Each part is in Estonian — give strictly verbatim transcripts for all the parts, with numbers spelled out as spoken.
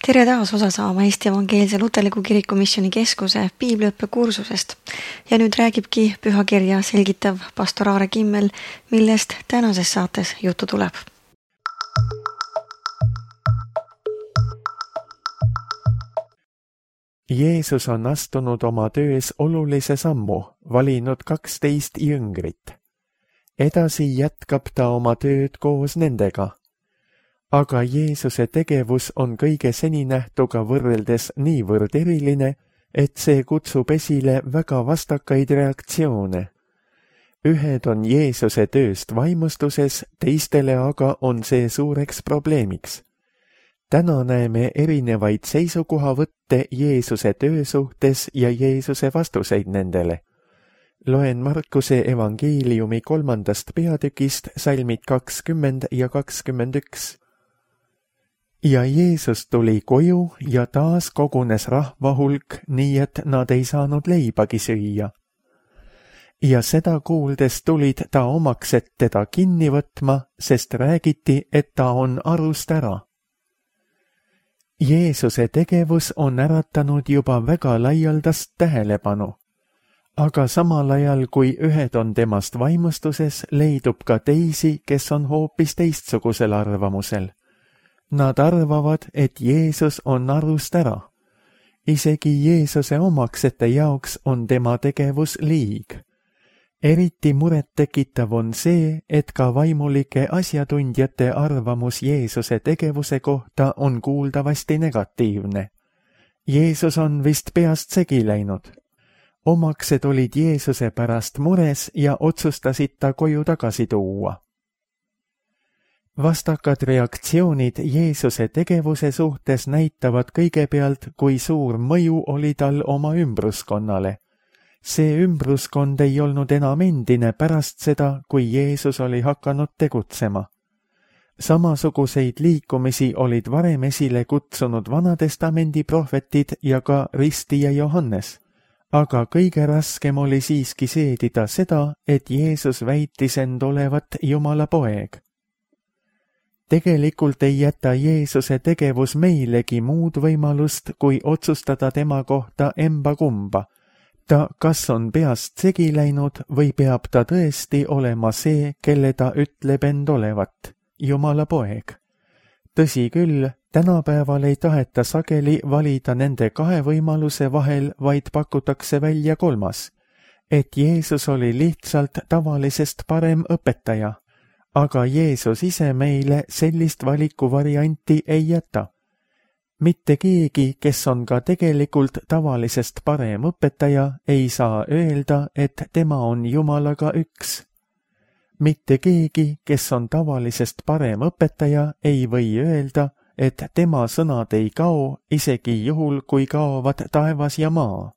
Tere taas osa saama Eesti Evangeelse Luterliku Kiriku Missiooni Keskuse piibliõppe kursusest. Ja nüüd räägibki pühakirja selgitav pastor Aare Kimmel, millest tänases saates juttu tuleb. Jeesus on astunud oma töös olulise sammu, valinud kaksteist jüngrit. Edasi jätkab ta oma tööd koos nendega. Aga Jeesuse tegevus on kõige seninähtuga võrreldes niivõrd eriline, et see kutsub esile väga vastakaid reaktsioone. Ühed on Jeesuse tööst vaimustuses, teistele aga on see suureks probleemiks. Täna näeme erinevaid seisukohavõtte Jeesuse töö suhtes ja Jeesuse vastuseid nendele. Loen Markuse evangeeliumi kolmandast peatükist salmid kakskümmend ja kakskümmend üks. Ja Jeesus tuli koju ja taas kogunes rahvahulk, nii et nad ei saanud leibagi süüa. Ja seda kuuldes tulid ta omaks, et teda kinni võtma, sest räägiti, et ta on arust ära. Jeesuse tegevus on äratanud juba väga laialdast tähelepanu. Aga samal ajal, kui ühed on temast vaimustuses, leidub ka teisi, kes on hoopis teistsugusel arvamusel. Nad arvavad, et Jeesus on arust ära. Isegi Jeesuse omaksete jaoks on tema tegevus liig. Eriti muret tekitav on see, et ka vaimulike asjatundjate arvamus Jeesuse tegevuse kohta on kuuldavasti negatiivne. Jeesus on vist peast segi läinud. Omaksed olid Jeesuse pärast mures ja otsustasid ta koju tagasi tuua. Vastakad reaktsioonid Jeesuse tegevuse suhtes näitavad kõigepealt, kui suur mõju oli tal oma ümbruskonnale. See ümbruskond ei olnud enam endine pärast seda, kui Jeesus oli hakanud tegutsema. Samasuguseid liikumisi olid varem esile kutsunud Vanatestamendi prohvetid ja ka Ristija Johannes. Aga kõige raskem oli siiski seedida seda, et Jeesus väitis end olevat Jumala poeg. Tegelikult ei jäta Jeesuse tegevus meilegi muud võimalust, kui otsustada tema kohta emba kumba. Ta kas on peast segi läinud või peab ta tõesti olema see, kelle ta ütleb end olevat, Jumala poeg. Tõsi küll, tänapäeval ei taheta sageli valida nende kahe võimaluse vahel, vaid pakutakse välja kolmas, et Jeesus oli lihtsalt tavalisest parem õpetaja. Aga Jeesus ise meile sellist valikuvarianti ei jäta. Mitte keegi, kes on ka tegelikult tavalisest parem õpetaja, ei saa öelda, et tema on Jumalaga üks. Mitte keegi, kes on tavalisest parem õpetaja, ei või öelda, et tema sõnad ei kao, isegi juhul, kui kaovad taevas ja maa.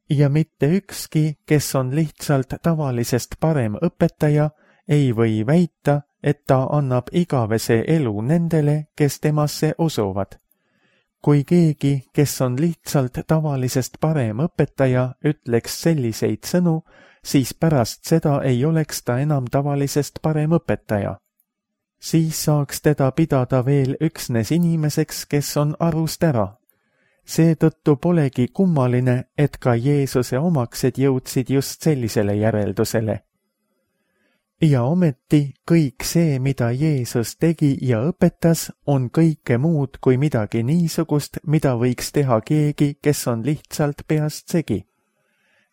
Ja mitte ükski, kes on lihtsalt tavalisest parem õpetaja, ei või väita, et ta annab igavese elu nendele, kes temasse usuvad. Kui keegi, kes on lihtsalt tavalisest parem õpetaja, ütleks selliseid sõnu, siis pärast seda ei oleks ta enam tavalisest parem õpetaja. Siis saaks teda pidada veel üksnes inimeseks, kes on arust ära. Seetõttu polegi kummaline, et ka Jeesuse omaksed jõudsid just sellisele järeldusele. Ja ometi kõik see, mida Jeesus tegi ja õpetas, on kõike muud kui midagi niisugust, mida võiks teha keegi, kes on lihtsalt peast segi.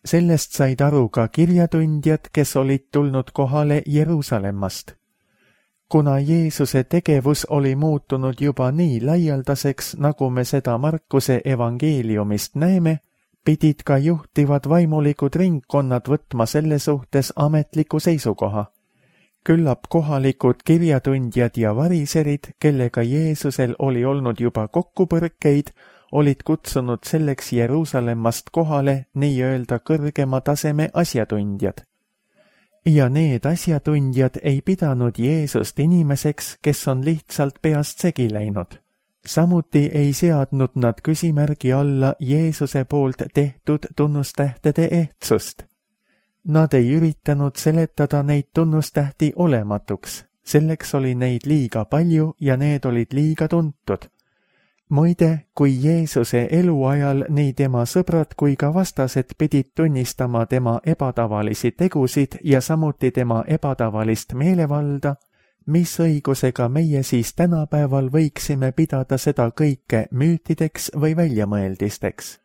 Sellest said aru ka kirjatundjad, kes olid tulnud kohale Jeruusalemmast. Kuna Jeesuse tegevus oli muutunud juba nii laialdaseks, nagu me seda Markuse evangeeliumist näeme, pidid ka juhtivad vaimulikud ringkonnad võtma selle suhtes ametliku seisukoha. Küllap kohalikud kirjatundjad ja variserid, kellega Jeesusel oli olnud juba kokkupõrkeid, olid kutsunud selleks Jeruusalemmast kohale nii-öelda kõrgema taseme asjatundjad. Ja need asjatundjad ei pidanud Jeesust inimeseks, kes on lihtsalt peast segi läinud. Samuti ei seadnud nad küsimärgi alla Jeesuse poolt tehtud tunnustähtede ehtsust. Nad ei üritanud seletada neid tunnustähti olematuks, selleks oli neid liiga palju ja need olid liiga tuntud. Muide, kui Jeesuse eluajal nii tema sõbrad kui ka vastased pidid tunnistama tema ebatavalisi tegusid ja samuti tema ebatavalist meelevalda, mis õigusega meie siis tänapäeval võiksime pidada seda kõike müütideks või väljamõeldisteks.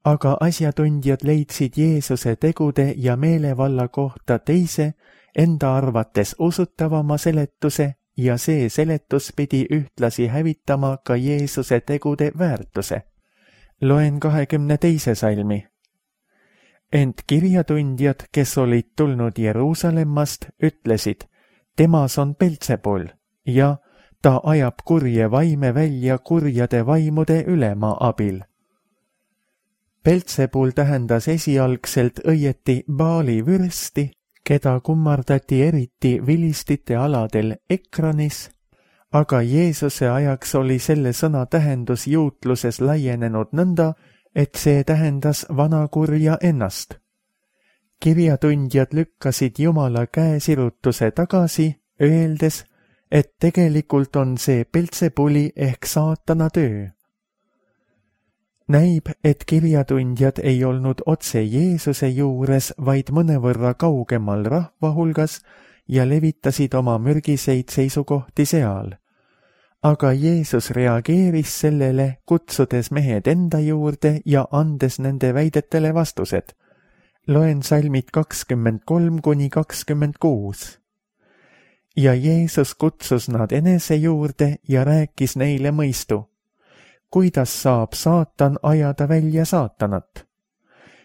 Aga asjatundjad leidsid Jeesuse tegude ja meelevalla kohta teise, enda arvates usutavama seletuse, ja see seletus pidi ühtlasi hävitama ka Jeesuse tegude väärtuse. Loen kahekümne teise salmi. Ent kirjatundjad, kes olid tulnud Jeruusalemmast, ütlesid, temas on Beltsebul ja ta ajab kurje vaime välja kurjade vaimude ülema abil. Beltsebul tähendas esialgselt õieti Baali vürsti, keda kummardati eriti vilistite aladel Ekranis, aga Jeesuse ajaks oli selle sõna tähendus juutluses laienenud nõnda, et see tähendas vanakurja ennast. Kirjatundjad lükkasid Jumala käesirutuse tagasi, öeldes, et tegelikult on see Beltsebuli ehk saatana töö. Näib, et kirjatundjad ei olnud otse Jeesuse juures, vaid mõnevõrra kaugemal rahva hulgas ja levitasid oma mürgiseid seisukohti seal. Aga Jeesus reageeris sellele, kutsudes mehed enda juurde ja andes nende väidetele vastused. Loen salmid kakskümmend kolm kuni kakskümmend kuus. Ja Jeesus kutsus nad enese juurde ja rääkis neile mõistu. Kuidas saab saatan ajada välja saatanat?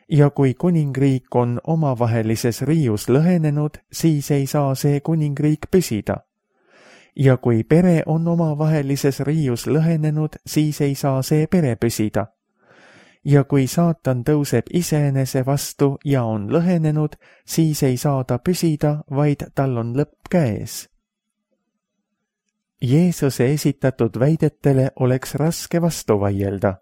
Ja kui kuningriik on omavahelises riius lõhenenud, siis ei saa see kuningriik püsida. Ja kui pere on omavahelises riius lõhenenud, siis ei saa see pere püsida. Ja kui saatan tõuseb iseenese vastu ja on lõhenenud, siis ei saa ta püsida, vaid tal on lõpp käes. Jeesuse esitatud väidetele oleks raske vastu vaielda.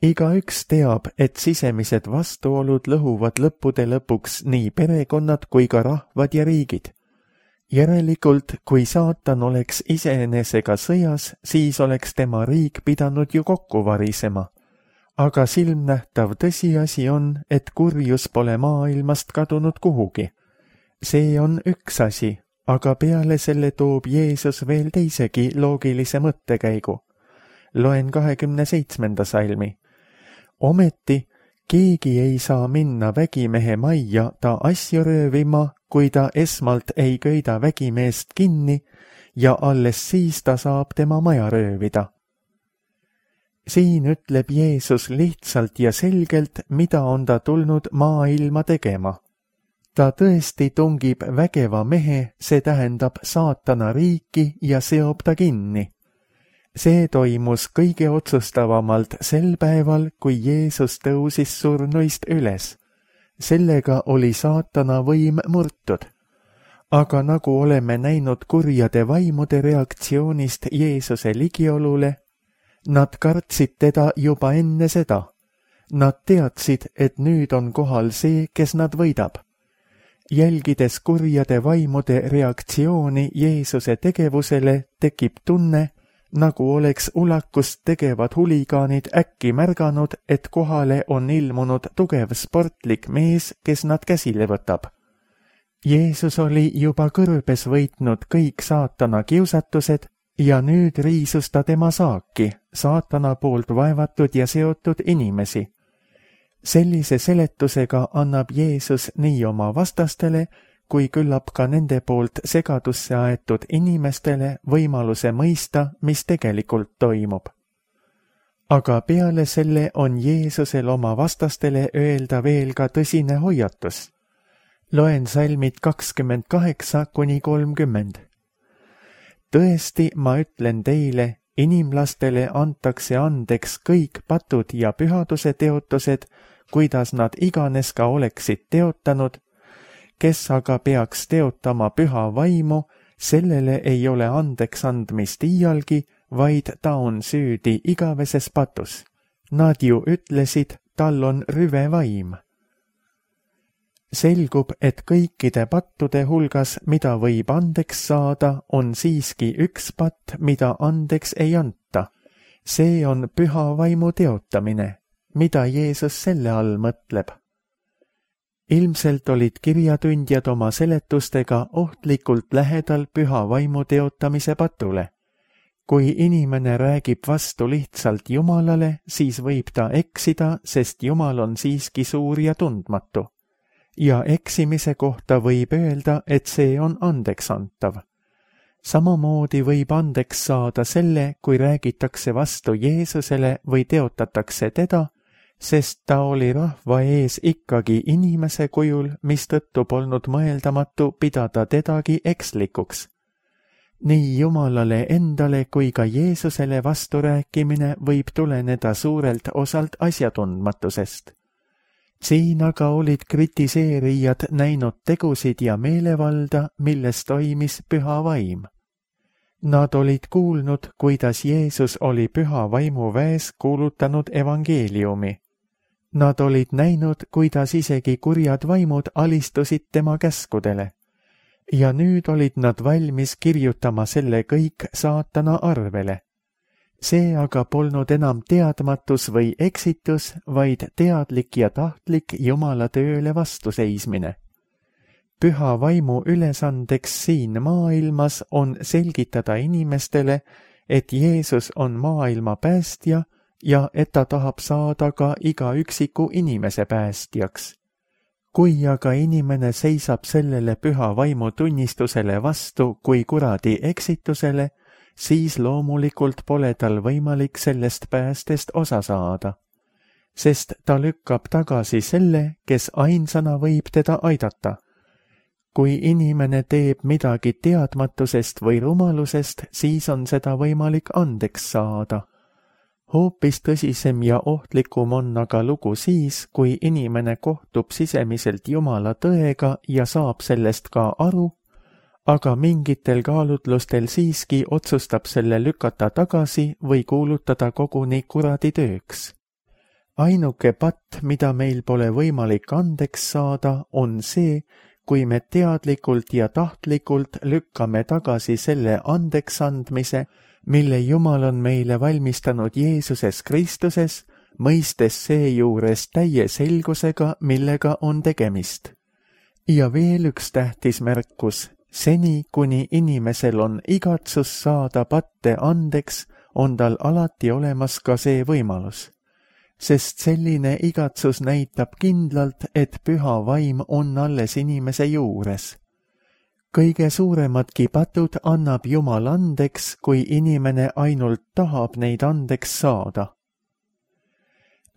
Igaüks teab, et sisemised vastuolud lõhuvad lõppude lõpuks nii perekonnad kui ka rahvad ja riigid. Järelikult, kui saatan oleks iseenesega sõjas, siis oleks tema riik pidanud ju kokku varisema. Aga silmnähtav tõsiasi on, et kurjus pole maailmast kadunud kuhugi. See on üks asi. Aga peale selle toob Jeesus veel teisegi loogilise mõttekäigu. Loen kahekümne seitsmenda salmi. Ometi keegi ei saa minna vägimehe majja ta asju röövima, kui ta esmalt ei köida vägimeest kinni ja alles siis ta saab tema maja röövida. Siin ütleb Jeesus lihtsalt ja selgelt, mida on ta tulnud maailma tegema. Ta tõesti tungib vägeva mehe, see tähendab saatana riiki ja seob ta kinni. See toimus kõige otsustavamalt sel päeval, kui Jeesus tõusis surnuist üles. Sellega oli saatana võim murtud. Aga nagu oleme näinud kurjade vaimude reaktsioonist Jeesuse ligiolule, nad kartsid teda juba enne seda. Nad teadsid, et nüüd on kohal see, kes nad võidab. Jälgides kurjade vaimude reaktsiooni Jeesuse tegevusele, tekib tunne, nagu oleks ulakust tegevad huligaanid äkki märganud, et kohale on ilmunud tugev sportlik mees, kes nad käsile võtab. Jeesus oli juba kõrbes võitnud kõik saatana kiusatused ja nüüd riisus ta tema saaki, saatana poolt vaevatud ja seotud inimesi. Sellise seletusega annab Jeesus nii oma vastastele, kui küllap ka nende poolt segadusse aetud inimestele võimaluse mõista, mis tegelikult toimub. Aga peale selle on Jeesusel oma vastastele öelda veel ka tõsine hoiatus. Loen salmid kakskümmend kaheksa kuni kolmkümmend. Tõesti, ma ütlen teile, inimlastele antakse andeks kõik patud ja pühaduse teotused, kuidas nad iganes ka oleksid teotanud, kes aga peaks teotama püha vaimu, sellele ei ole andeks andmist iialgi, vaid ta on süüdi igaveses patus. Nad ju ütlesid, tal on rüve vaim. Selgub, et kõikide pattude hulgas, mida võib andeks saada, on siiski üks patt, mida andeks ei anta. See on püha vaimu teotamine, mida Jeesus selle all mõtleb. Ilmselt olid kirjatundjad oma seletustega ohtlikult lähedal püha vaimu teotamise patule. Kui inimene räägib vastu lihtsalt Jumalale, siis võib ta eksida, sest Jumal on siiski suur ja tundmatu. Ja eksimise kohta võib öelda, et see on andeksantav. Samamoodi võib andeks saada selle, kui räägitakse vastu Jeesusele või teotatakse teda, sest ta oli rahva ees ikkagi inimese kujul, mistõttu polnud mõeldamatu pidada tedagi ekslikuks. Nii Jumalale endale kui ka Jeesusele vasturääkimine võib tuleneda suurelt osalt asjatundmatusest. Siin aga olid kritiseerijad näinud tegusid ja meelevalda, milles toimis püha vaim. Nad olid kuulnud, kuidas Jeesus oli püha vaimu väes kuulutanud evangeeliumi. Nad olid näinud, kuidas isegi kurjad vaimud alistusid tema käskudele. Ja nüüd olid nad valmis kirjutama selle kõik saatana arvele. See aga polnud enam teadmatus või eksitus, vaid teadlik ja tahtlik Jumala tööle vastuseismine. Püha vaimu ülesandeks siin maailmas on selgitada inimestele, et Jeesus on maailma päästja ja et ta tahab saada ka iga üksiku inimese päästjaks. Kui aga inimene seisab sellele püha vaimu tunnistusele vastu kui kuradi eksitusele, siis loomulikult pole tal võimalik sellest päästest osa saada, sest ta lükkab tagasi selle, kes ainsana võib teda aidata. Kui inimene teeb midagi teadmatusest või rumalusest, siis on seda võimalik andeks saada. Hoopis tõsisem ja ohtlikum on aga lugu siis, kui inimene kohtub sisemiselt Jumala tõega ja saab sellest ka aru, aga mingitel kaalutlustel siiski otsustab selle lükata tagasi või kuulutada koguni kuradi tööks. Ainuke patt, mida meil pole võimalik andeks saada, on see, kui me teadlikult ja tahtlikult lükkame tagasi selle andeks andmise, mille Jumal on meile valmistanud Jeesuses Kristuses, mõistes seejuures täie selgusega, millega on tegemist. Ja veel üks tähtis märkus, seni kuni inimesel on igatsus saada patte andeks, on tal alati olemas ka see võimalus. Sest selline igatsus näitab kindlalt, et püha vaim on alles inimese juures. Kõige suuremadki patud annab Jumal andeks, kui inimene ainult tahab neid andeks saada.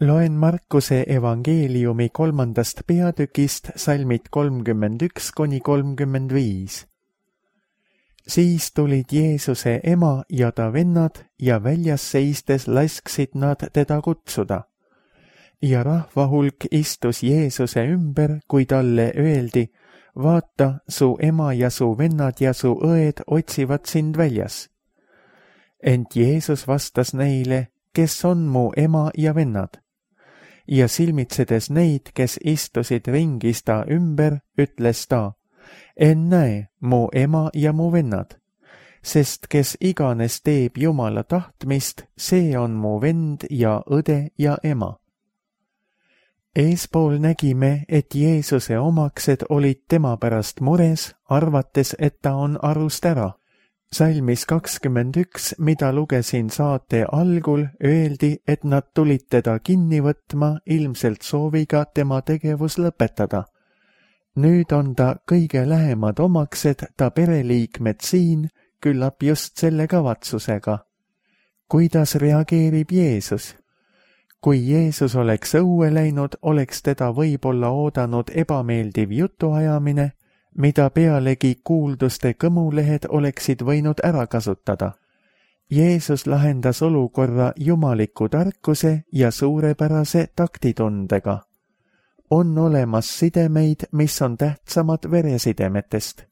Loen Markuse evangeeliumi kolmandast peatükist salmid kolmkümmend üks kuni kolmkümmend viis. Siis tulid Jeesuse ema ja ta vennad ja väljas seistes lasksid nad teda kutsuda. Ja rahva hulk istus Jeesuse ümber, kui talle öeldi, vaata, su ema ja su vennad ja su õed otsivad sind väljas. Ent Jeesus vastas neile, kes on mu ema ja vennad. Ja silmitsedes neid, kes istusid ringis ta ümber, ütles ta, ennäe, mu ema ja mu vennad, sest kes iganes teeb Jumala tahtmist, see on mu vend ja õde ja ema. Eespool nägime, et Jeesuse omaksed olid tema pärast mures, arvates, et ta on arust ära. Salmis kakskümmend üks, mida lugesin saate algul, öeldi, et nad tulid teda kinni võtma ilmselt sooviga tema tegevus lõpetada. Nüüd on ta kõige lähemad omaksed, ta pereliikmed siin, küllap just selle kavatsusega. Kuidas reageerib Jeesus? Kui Jeesus oleks õue läinud, oleks teda võib-olla oodanud ebameeldiv jutuajamine, mida pealegi kuulduste kõmulehed oleksid võinud ära kasutada. Jeesus lahendas olukorra jumaliku tarkuse ja suurepärase taktitundega. On olemas sidemeid, mis on tähtsamad veresidemetest.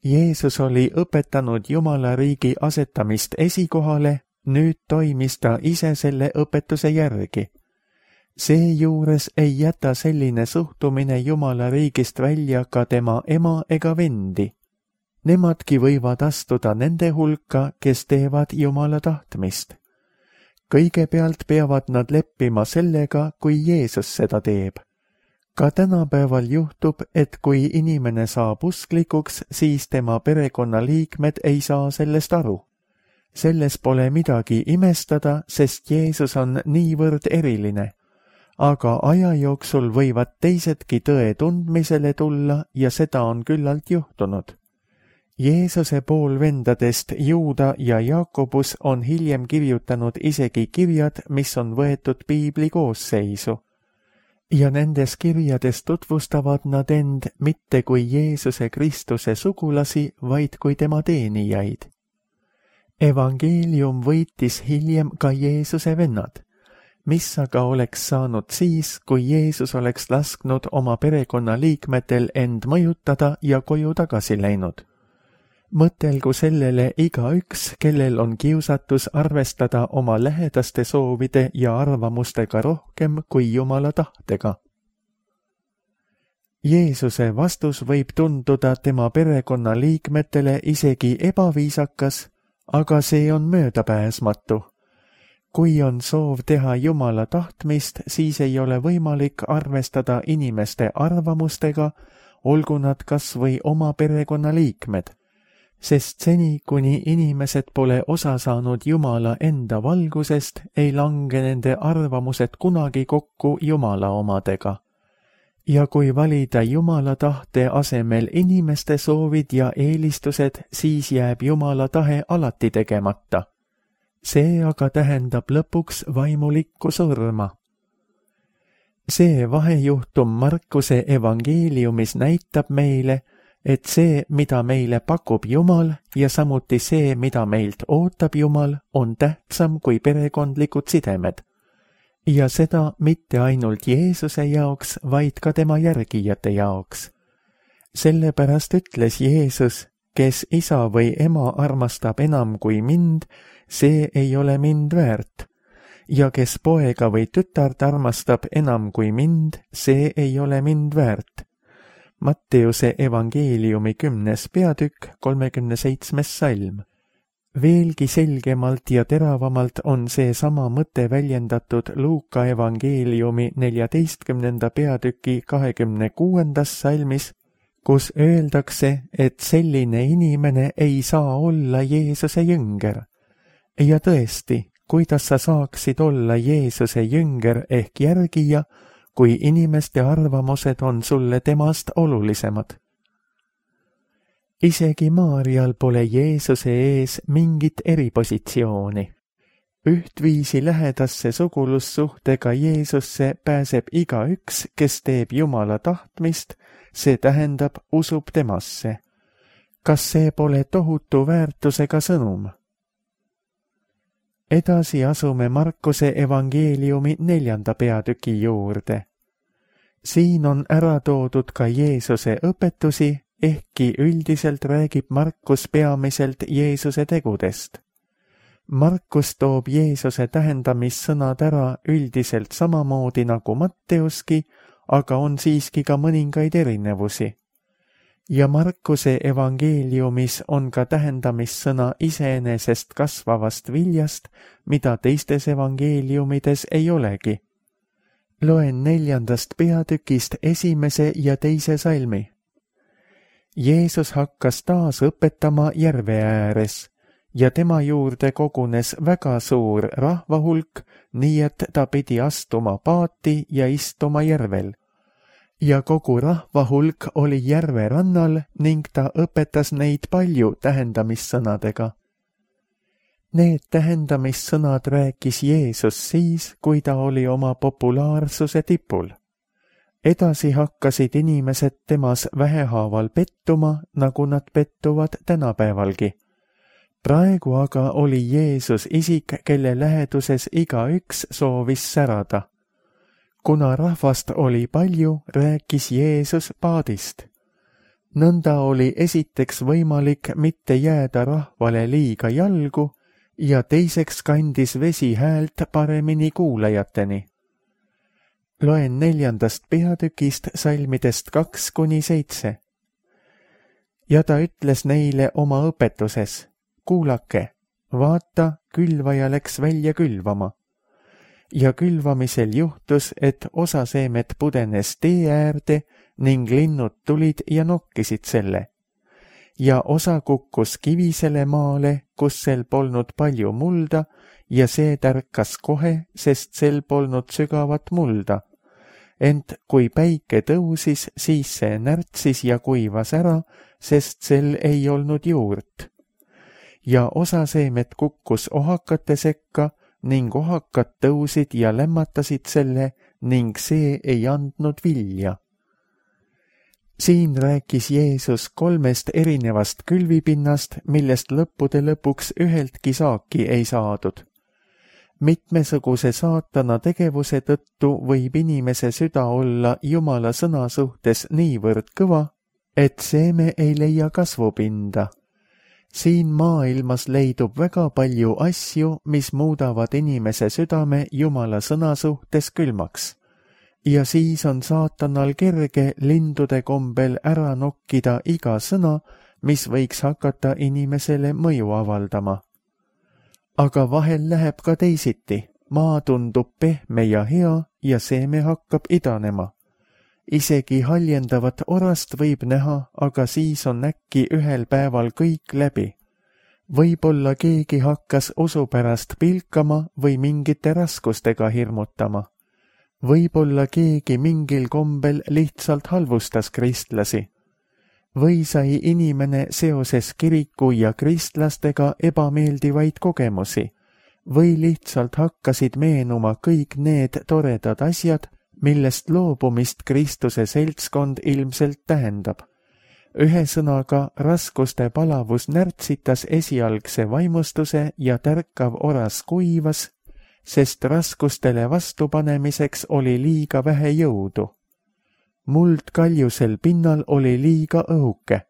Jeesus oli õpetanud Jumala riigi asetamist esikohale, nüüd toimis ta ise selle õpetuse järgi. Seejuures ei jäta selline suhtumine Jumala riigist välja ka tema ema ega vendi. Nemadki võivad astuda nende hulka, kes teevad Jumala tahtmist. kõigepealt peavad nad leppima sellega, kui Jeesus seda teeb. Ka tänapäeval juhtub, et kui inimene saab usklikuks, siis tema perekonnaliikmed ei saa sellest aru. Selles pole midagi imestada, sest Jeesus on niivõrd eriline. Aga aja jooksul võivad teisedki tõe tundmisele tulla ja seda on küllalt juhtunud. Jeesuse poolvendadest Juuda ja Jakobus on hiljem kirjutanud isegi kirjad, mis on võetud piibli koosseisu. Ja nendes kirjades tutvustavad nad end mitte kui Jeesuse Kristuse sugulasi, vaid kui tema teenijaid. Evangeelium võitis hiljem ka Jeesuse vennad, mis aga oleks saanud siis, kui Jeesus oleks lasknud oma perekonnaliikmetel end mõjutada ja koju tagasi läinud. Mõtelgu sellele igaüks, kellel on kiusatus arvestada oma lähedaste soovide ja arvamustega rohkem kui Jumala tahtega. Jeesuse vastus võib tunduda tema perekonna liikmetele isegi ebaviisakas, aga see on möödapääsmatu. Kui on soov teha Jumala tahtmist, siis ei ole võimalik arvestada inimeste arvamustega, olgu nad kas või oma perekonna liikmed. Sest seni, kuni inimesed pole osa saanud Jumala enda valgusest, ei lange nende arvamused kunagi kokku Jumala omadega. Ja kui valida Jumala tahte asemel inimeste soovid ja eelistused, siis jääb Jumala tahe alati tegemata. See aga tähendab lõpuks vaimulikku surma. See vahejuhtum Markuse evangeeliumis näitab meile, et see, mida meile pakub Jumal ja samuti see, mida meilt ootab Jumal, on tähtsam kui perekondlikud sidemed. Ja seda mitte ainult Jeesuse jaoks, vaid ka tema järgijate jaoks. Sellepärast ütles Jeesus, kes isa või ema armastab enam kui mind, see ei ole mind väärt. Ja kes poega või tütart armastab enam kui mind, see ei ole mind väärt. Matteuse evangeeliumi kümnes peatükk, kolmekümne seitsmes salm. Veelgi selgemalt ja teravamalt on see sama mõte väljendatud Luuka evangeeliumi neljateistkümnenda peatüki kahekümne kuuendas salmis, kus öeldakse, et selline inimene ei saa olla Jeesuse jünger. Ja tõesti, kuidas sa saaksid olla Jeesuse jünger ehk järgija, kui inimeste arvamused on sulle temast olulisemad. Isegi Maarjal pole Jeesuse ees mingit eripositsiooni. Ühtviisi lähedasse sugulussuhtega Jeesusse pääseb igaüks, kes teeb Jumala tahtmist, see tähendab usub temasse. Kas see pole tohutu väärtusega sõnum? Edasi asume Markuse evangeeliumi neljanda peatüki juurde. Siin on ära toodud ka Jeesuse õpetusi, ehkki üldiselt räägib Markus peamiselt Jeesuse tegudest. Markus toob Jeesuse tähendamissõnad ära üldiselt samamoodi nagu Matteuski, aga on siiski ka mõningaid erinevusi. Ja Markuse evangeeliumis on ka tähendamissõna iseenesest kasvavast viljast, mida teistes evangeeliumides ei olegi. Loen neljandast peatükist esimese ja teise salmi. Jeesus hakkas taas õpetama järve ääres ja tema juurde kogunes väga suur rahvahulk, nii et ta pidi astuma paati ja istuma järvel. Ja kogu rahvahulk oli järve rannal ning ta õpetas neid palju tähendamissõnadega. Need tähendamissõnad rääkis Jeesus siis, kui ta oli oma populaarsuse tipul. Edasi hakkasid inimesed temas vähehaaval pettuma, nagu nad pettuvad tänapäevalgi. Praegu aga oli Jeesus isik, kelle läheduses igaüks soovis särada. Kuna rahvast oli palju, rääkis Jeesus paadist. Nõnda oli esiteks võimalik mitte jääda rahvale liiga jalgu ja teiseks kandis vesi häält paremini kuulajateni. Loen neljandast peatükist salmidest kaks kuni seitse. Ja ta ütles neile oma õpetuses, kuulake, vaata, külvaja läks välja külvama. ja külvamisel juhtus, et osa seemet pudenes tee äärde ning linnud tulid ja nokkisid selle. Ja osa kukkus kivisele maale, kus sel polnud palju mulda, ja see tärkas kohe, sest sel polnud sügavat mulda. Ent kui päike tõusis, siis see närtsis ja kuivas ära, sest sel ei olnud juurt. Ja osa seemet kukkus ohakate sekka ning ohakad tõusid ja lämmatasid selle ning see ei andnud vilja. Siin rääkis Jeesus kolmest erinevast külvipinnast, millest lõppude lõpuks üheltki saaki ei saadud. Mitmesuguse saatana tegevuse tõttu võib inimese süda olla Jumala sõna suhtes niivõrd kõva, et seeme ei leia kasvupinda. Siin maailmas leidub väga palju asju, mis muudavad inimese südame Jumala sõna suhtes külmaks. Ja siis on saatanal kerge lindude kombel ära nokkida iga sõna, mis võiks hakata inimesele mõju avaldama. Aga vahel läheb ka teisiti, maa tundub pehme ja hea ja seeme hakkab idanema. Isegi haljendavat orast võib näha, aga siis on äkki ühel päeval kõik läbi. Võib-olla keegi hakkas usu pärast pilkama või mingite raskustega hirmutama. Võib-olla keegi mingil kombel lihtsalt halvustas kristlasi. Või sai inimene seoses kiriku ja kristlastega ebameeldivaid kogemusi. Või lihtsalt hakkasid meenuma kõik need toredad asjad, millest loobumist Kristuse seltskond ilmselt tähendab. Ühesõnaga, raskuste palavus närtsitas esialgse vaimustuse ja tärkav oras kuivas, sest raskustele vastupanemiseks oli liiga vähe jõudu. Muld kaljusel pinnal oli liiga õhuke.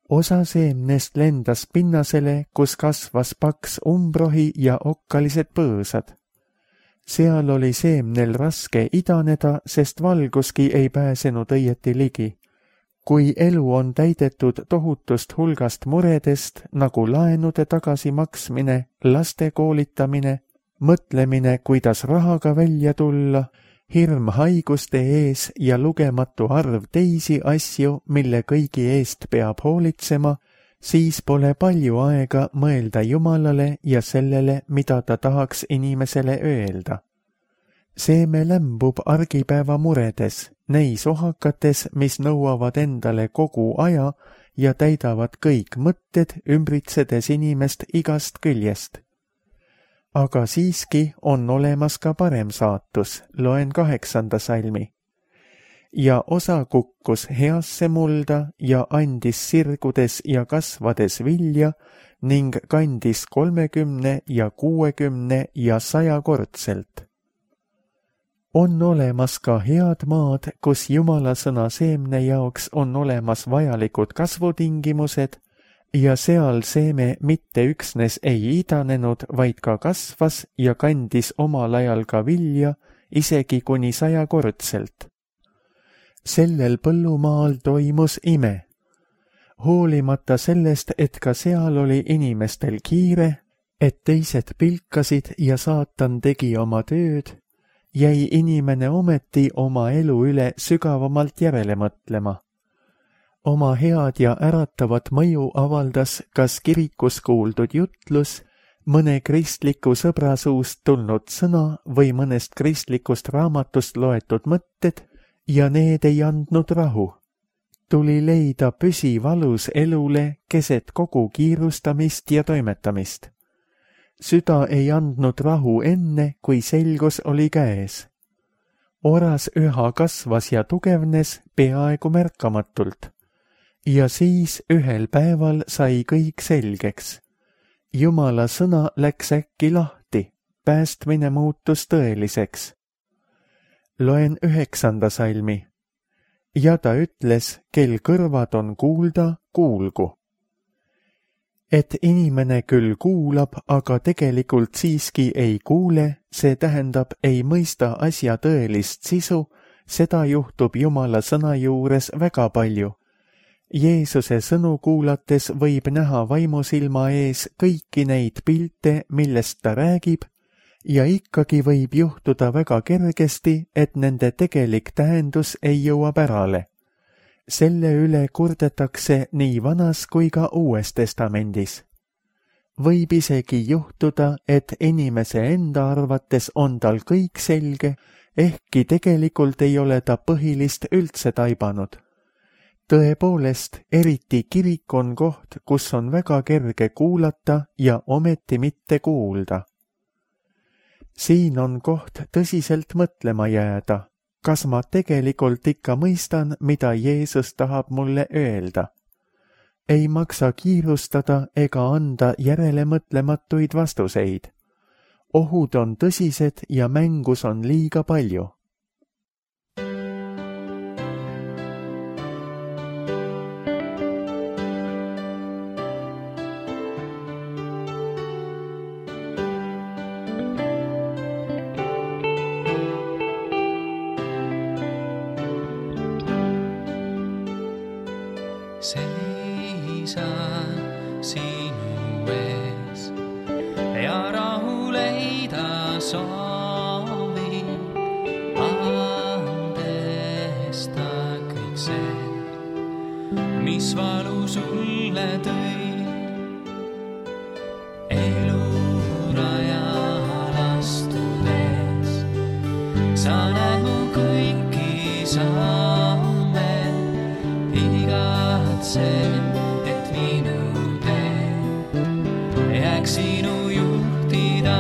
Osa seemnest lendas pinnasele, kus kasvas paks umbrohi ja okkalised põõsad. Seal oli seemnel raske idaneda, sest valguski ei pääsenud õieti ligi. Kui elu on täidetud tohutust hulgast muredest, nagu laenude tagasimaksmine, laste koolitamine, mõtlemine, kuidas rahaga välja tulla, hirm haiguste ees ja lugematu arv teisi asju, mille kõigi eest peab hoolitsema, siis pole palju aega mõelda Jumalale ja sellele, mida ta tahaks inimesele öelda. Seeme lämbub argipäeva muredes, neis ohakates, mis nõuavad endale kogu aja ja täidavad kõik mõtted, ümbritsedes inimest igast küljest. Aga siiski on olemas ka parem saatus, loen kaheksanda salmi. Ja osa kukkus heasse mulda ja andis sirgudes ja kasvades vilja ning kandis kolmekümne ja kuuekümne ja sajakordselt. On olemas ka head maad, kus Jumala sõna seemne jaoks on olemas vajalikud kasvutingimused, ja seal seeme mitte üksnes ei idanenud, vaid ka kasvas ja kandis omal ajal ka vilja, isegi kuni sajakordselt. Sellel põllumaal toimus ime. Hoolimata sellest, et ka seal oli inimestel kiire, et teised pilkasid ja saatan tegi oma tööd, jäi inimene ometi oma elu üle sügavamalt järele mõtlema. Oma head ja äratavat mõju avaldas kas kirikus kuuldud jutlus, mõne kristliku sõbra suust tulnud sõna või mõnest kristlikust raamatust loetud mõtted, ja need ei andnud rahu. Tuli leida püsivalus elule keset kogu kiirustamist ja toimetamist. Süda ei andnud rahu enne, kui selgus oli käes. Oras üha kasvas ja tugevnes peaaegu märkamatult. Ja siis ühel päeval sai kõik selgeks. Jumala sõna läks äkki lahti, päästmine muutus tõeliseks. Loen üheksanda salmi. Ja ta ütles, kel kõrvad on kuulda, kuulgu. Et inimene küll kuulab, aga tegelikult siiski ei kuule, see tähendab, ei mõista asja tõelist sisu, seda juhtub Jumala sõna juures väga palju. Jeesuse sõnu kuulates võib näha vaimusilma ees kõiki neid pilte, millest ta räägib, ja ikkagi võib juhtuda väga kergesti, et nende tegelik tähendus ei jõua pärale. Selle üle kurdetakse nii vanas kui ka uues testamendis. Võib isegi juhtuda, et inimese enda arvates on tal kõik selge, ehkki tegelikult ei ole ta põhilist üldse taibanud. Tõepoolest, eriti kirik on koht, kus on väga kerge kuulata ja ometi mitte kuulda. Siin on koht tõsiselt mõtlema jääda. Kas ma tegelikult ikka mõistan, mida Jeesus tahab mulle öelda? Ei maksa kiirustada ega anda järelemõtlematuid vastuseid. Ohud on tõsised ja mängus on liiga palju. Seisa sinu ees ja rahu leida soovi, andesta kõik see, mis valu sulle tõi. Elurajal astudes sa näed mu kõiki samme, igatse, et minu tee jääks sinu juhtida.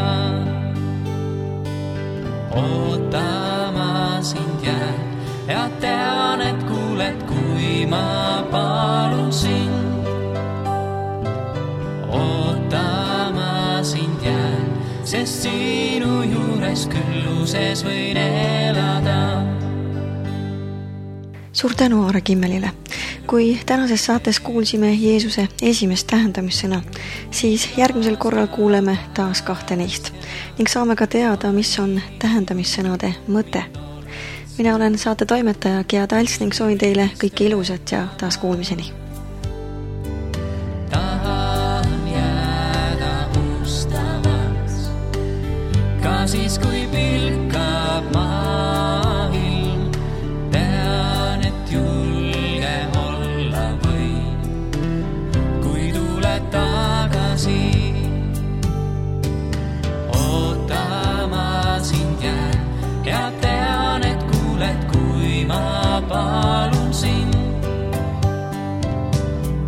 Ootama sind jään ja tean, et kuuled, kui ma palun sind. Ootama sind jään, sest sinu juures külluses võin elada. Suur tänu Aare Kimmelile. Kui tänases saates kuulsime Jeesuse esimest tähendamissõna, siis järgmisel korral kuuleme taas kahte neist ning saame ka teada, mis on tähendamissõnade mõte. Mina olen saate toimetaja Gea Talts ning soovin teile kõike ilusat ja taas kuulmiseni. Tahan jääda ustamaks, ka siis kui pilkab maailm, tean, et julge olla võin, kui tuled tagasi. Ootama sind jään ja tean, et kuuled, kui ma palun sind.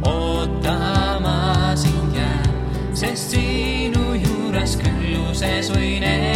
Ootama sind jään, sest sinu juures külluses võin elada.